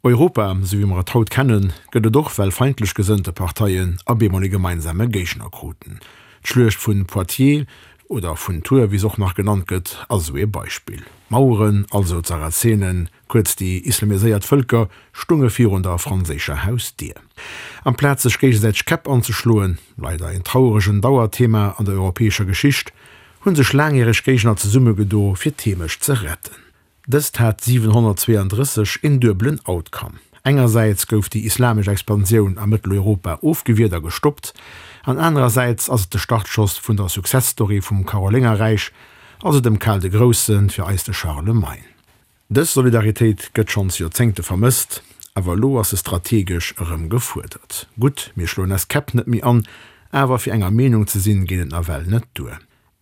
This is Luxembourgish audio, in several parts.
Europa, esou wéi mer et haut kennen, gëtt et och, well feindlech gesënnte Parteien a bemol e gemeinsame Géigner kruten. D'Schluecht vun Poitiers, oder vun Tours, wéi se och nach genannt gëtt, ass esou ee Beispill. D'Maueren, also d'Sarazenen, kuerz déi islamiséiert Vëlker, stunge virun der franséischer Hausdier. Amplaz sech géigesäiteg d'Käpp anzeschloen, leider een trauregen Dauerthema an der europäescher Geschicht, hu sech laangjäreg Géigner zesummegedo fir d'Heemecht ze retten. Dëst hat 732 een duebelen Outcome, Engersäits gouf déi islamesch Expansioun a Mëtteleuropa ofgewiert a gestoppt, an anerersäits ass et de Startschoss vun der Success-Story vum Karoléngerräich, also dem Karl de Groussen, fir eis de Charlemagne. Dës Solidaritéit gëtt schonns Joerzéngte vermësst, awer elo ass se strategesch erëm gefuerdert. Gutt, mir schloen eis Käpp net méi an, awer fir enger Meenung ze sinn, geet et nawell net duer.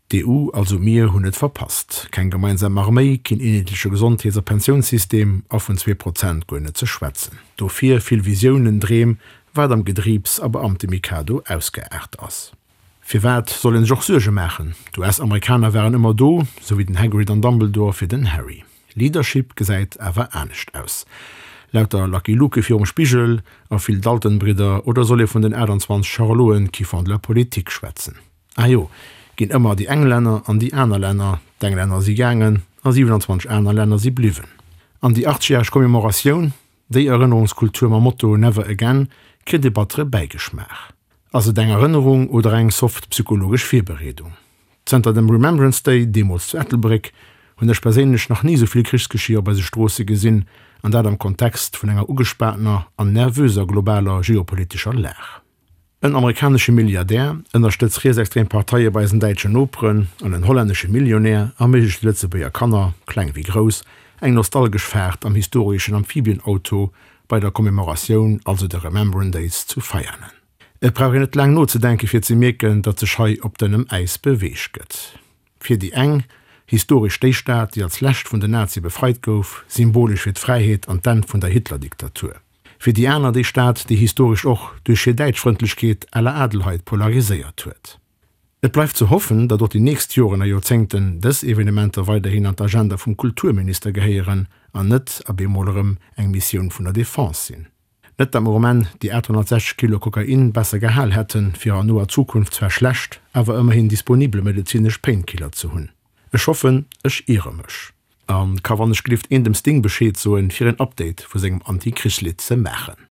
D'EU, also mir, hunn et verpasst. Keng gemeinsam Arméi, keen eenheetleche Gesondheets a Pensiounssystem a vun 2% guer net ze schwätzen. Dofir vill Visiounen, Dreem, wat am Gedriibs a Beamtemikado ausgeaart ass. Firwat soll een sech och Suerge maachen? D'US-Amerikaner waren ëmmer do, sou wéi den Hagrid an Dumbledore fir den Harry. Leadership gesäit awer anescht aus. Lauter Lucky Luke virum Spigel a vill Dalton-Bridder, oder soll ee vun den 28 Charloten qui font de la politique schwätzen? Ah jo, ginn ëmmer déi eng Länner an déi aner Länner. D'Englänner si gaangen a 27 aner Länner si bliwwen. An déi 80-järeg Commemoratioun, déi Erënnerungskultur mam Motto Never again, kritt e battere Bäigeschmaach. Ass et eng Erënnerung oder eng soft psychologesch Virbereedung? Zënter dem Remembrance Day, deemools zu Ettelbréck, hunn ech perséinlech nach ni esou vill Krichsgeschier op eise Stroosse gesinn, an dat am Kontext vun enger ugespaantener an nervöser globaler geopolitescher Lag. En amerikanesche Milliardär ënnerstëtzt rietsextrem Parteie bei eisen däitschen Noperen an en hollännesche Millionär erméiglecht de Lëtzebuerger Kanner, kleng wéi grouss, eng nostalgesch Faart am historeschen Amphibienauto bei der Commemoratioun, also de Remembrance Days zu Veianen. Et brauch een net laang nozedenke fir ze mierken, datt sech hei op dënnem Äis beweegt gëtt. Fir déi eng, historesch déi Stad, déi als lescht vun den Nazie befreit gouf, symbolesch fir d'Fräiheet an d'Enn vun der Hitler-Diktatur. Fir déi aner déi Stad, déi historesch och duerch hir Däitschfrëndlechkeet à la Adelheid polariséiert huet. Et bleift ze hoffen, datt och déi nächst Joren a Joerzéngten dës Evenementer weiderhin an d'Agenda vum Kulturminister gehéieren an net ab eemol erëm eng Missioun vun der Defense sinn. Net datt mer um Enn déi 860 Kilo Kokain besser gehal hätten, fir an noer Zukunft zwar schlecht, awer ëmmerhin disponibel medezinesch Painkiller ze hunn. Ech hoffen, ech iere mech. A ka wann ech glift een dem Sting Bescheed soen fir een Update vu sengem Anti-Krichslidd ze maachen.